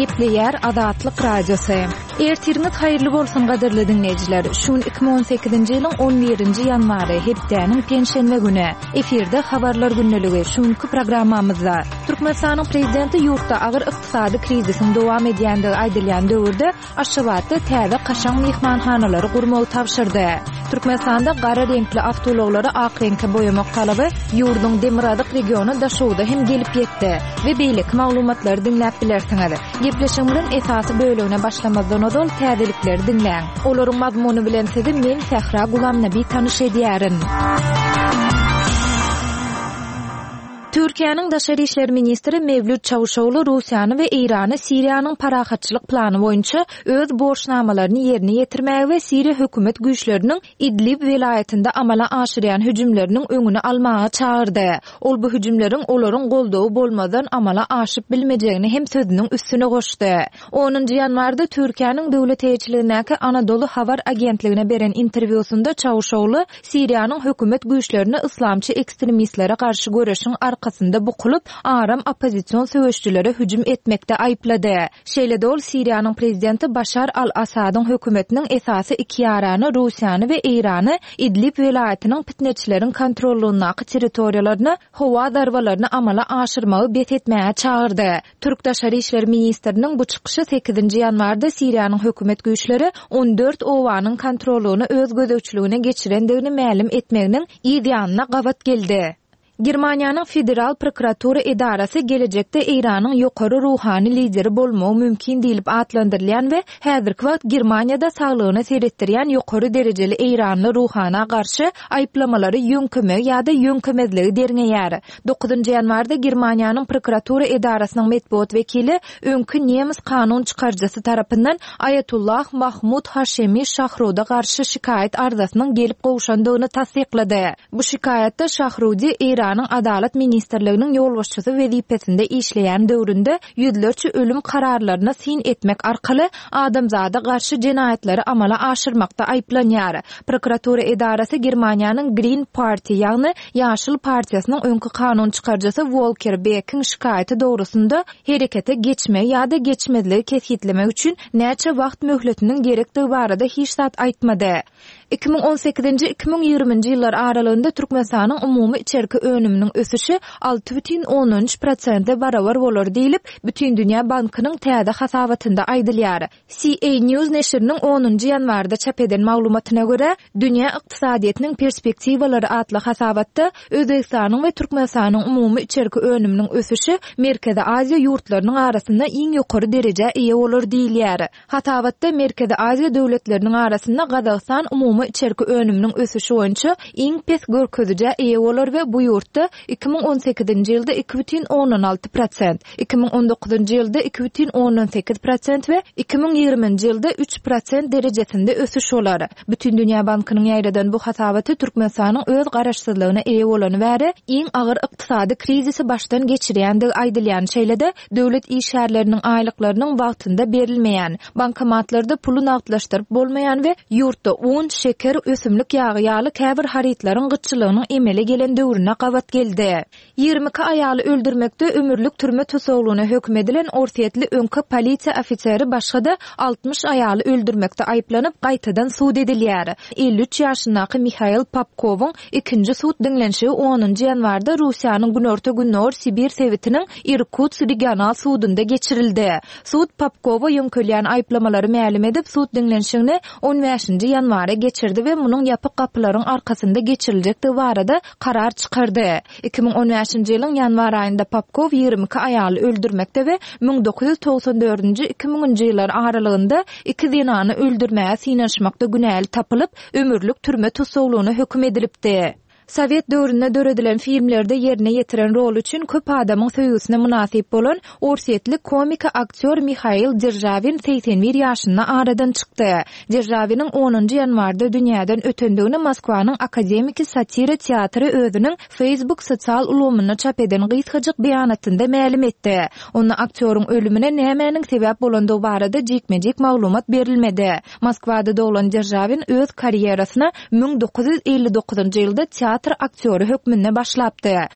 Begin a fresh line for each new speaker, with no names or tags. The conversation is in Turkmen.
Gepleýär Azatlyk Radiosy. Ertiriňiz haýyrly bolsun gadyrly diňleýjiler. Şu gün 2018-nji ýylyň 11-nji ýanwary, hepdäniň penşenbe güni. Efirde habarlar gündeligi. Şu günki programmamyzda Türkmenistanyň prezidenti ýurtda agyr ykdysady krizisiň dowam edýändigi aýdylýan döwürde Aşgabatda täze kaşaň myhmanhanalary gurmagy tabşyrdy. Türkmenistanda gara reňkli awtoulaglary ak reňke boýamak talaby ýurduň demirgazyk regiony Daşoguzda hem gelip ýetdi we beýleki maglumatlary diňläp bilersiňiz. Gepleşigimiziň esasy bölegine başlamazdan ozal täzelikleri diňläň. Olaryň mazmuny bilen sizi men Sähra Gulamnabi tanyş edýärin. Türkiýäniň daşary işler ministri Mewlüt Çawuşoglu Russiýany we Eýrany Siriýanyň parahatçylyk plany boýunça öz borçnamalaryny ýerine ýetirmäge we Siriýa hökümet güýçleriniň Idlib welaýatynda amala aşyrýan hüjümleriniň öňüni almaga çagyrdy. Ol bu hüjümleriň olaryň goldawy bolmazdan amala aşyp bilmejegini hem sözüniň üstüne goşdy. Onunjy ýanwarda Türkiýäniň döwlet eýeçiligindäki Anadolu habar agentligine beren interwýusynda Çawuşoglu Siriýanyň hökümet güýçlerini yslamçy ekstremistlere garşy göreşiň arkasynda bukulyp, aram oppozision söweşijilere hüjüm etmekde aýyplady. Şeýle-de ol Siriýanyň prezidenti Başar al-Assadyň hökümetiniň esasy iki ýarany Russiýany we Eýrany Idlib welaýatynyň pitneçileriň kontrollygyndaky territoriýalaryna howa zarbalaryny amala aşyrmagy bes etmäge çagyrdy. Türk daşary işler ministriniň bu çykyşy sekizinji ýanwarda Siriýanyň hökümet güýçleri 14 obanyň kontrollygyny öz gözegçiligine geçirendigini mälim etmeginiň yz ýanyna gabat geldi. Germaniýanyň Federal prokuratura edarasy gelejekde Eýranyň ýokary ruhany lideri bolmagy mümkin diýlip atlandyrylýan we häzirki wagt Germaniýada saglygyna seretdirýän ýokary derejeli eýranly ruhana garşy aýyplamalary ýöňkemegi ýa-da ýöňkemezligi derňeýär. Dokuzynjy ýanwarda Germaniýanyň prokuratura edarasynyň metbugat wekili öňki nemes kanun çykaryjysy tarapyndan Aýatullah Mahmud Haşemi Şahruda garşy şikaýat arzasynyň gelip gowşandygyny tassyklady. Bu şikaýatda Şahrudi Eýranyň Adalat ministrliginiň ýolbaşçysy wezipesinde işleýän döwründe ýüzlerçe ölüm kararlaryna syn etmek arkaly adamzada garşy jenaýatlary amala aşyrmakda aýyplanýar. Prokuratura edarasy Germaniýanyň Green Party, ýagny Ýaşyl partiýasynyň öňki kanun çykaryjysy Wolker Bekiň şikaýaty dogrusynda herekete geçmegi ýa-da geçmezligi kesgitlemek üçin näçe wagt möhletiniň gerekdigi barada hiç zat aýtmady. 2018-nji, 2020-nji ýyllar aralygynda Türkmenistanyň umumy içerki önüminiň ösüşi 6,3 prosente barabar bolar diýlip, Bütindünýä bankynyň täze hasabatynda aýdylýar. CA News neşiriniň onunjy ýanwarda çap eden maglumatyna görä, Dünýä ykdysadyýetiniň perspektiwalary atly hasabatda Özbegistanyň we Türkmenistanyň umumy içerki önüminiň ösüşi Merkezi Aziýa ýurtlarynyň arasynda iň ýokary derejä eýe bolar diýilýär. Hasabatda Merkezi Aziýa döwletleriniň arasynda Gazagystan umumy içerki önüminiň ösüşi boýunça iň pes görkezijä eýe bolar we bu ýurtda 2018-nji ýylda 2,6 prosent, 2019-njy ýylda 2,8 prosent we 2020-nji ýylda 3 prosent derejesinde ösüş bolar. Bütindünýä bankynyň ýaýradan bu hasabaty Türkmenistanyň öz garaşsyzlygyna eýe bolany bäri iň agyr ykdysady krizisi başdan geçirýändigi aýdylýan, şeýle-de döwlet işgärleriniň aýlyklarynyň wagtynda berilmeýän, bankomatlarda puly nagtlaşdyryp bolmaýan we ýurtda un, şeker, ösümlik ýagy ýaly käbir harytlaryň gytçylygynyň emele gelen döwrüne gabat geldi. 22 aýaly öldürmekde ömürlik türme tussaglygyna höküm edilen orsýetli öňki polisiýa ofiseri başga-da 60 aýaly öldürmekde aýyplanyp, gaýtadan sud edilýär. 53 ýaşyndaky Mihail Popkowyň ikinji sud diňlenişigi onunjy ýanwarda Russiýanyň günorta-gündogar Sibir sebitiniň Irkutsk regional sudunda geçirildi. Sud Popkowa ýöňkelýän aýyplamalary mälim edip, sud diňlenişigini on bäşinji ýanwara geçirdi we munuň ýapyk gapylaryň arkasynda geçiriljekdigi barada karar çykardy. 2015-nji ýylyň ýanwar aýynda Popkow 22 aýaly öldürmekde we 1994-nji, 2000-nji ýyllar aralygynda iki zenany öldürmäge synanyşmakda günäli tapylyp, ömürlik türme tussaglygyna höküm edilipdi. Sowet döwründe döredilen filmlerde ýerine ýetiren roly üçin köp adamyň söýgüsine mynasyp bolan orsýetli komiki aktýor Mihail Deržawin 81 ýaşynda aradan çykdy. Deržawiniň onunjy ýanwarda dünýäden ötendigini Moskwanyň Akademiki satira teatry özüniň Facebook sosial ulgamynda çap eden gysgajyk beýanatynda mälim etdi. Onda aktýoryň ölümine nämäniň sebäp bolandygy barada jikme-jik maglumat berilmedi. Moskwada doglan Deržawin öz karýerasyna 1959-njy ýylda teatr aktýory hökmünde başlapdy.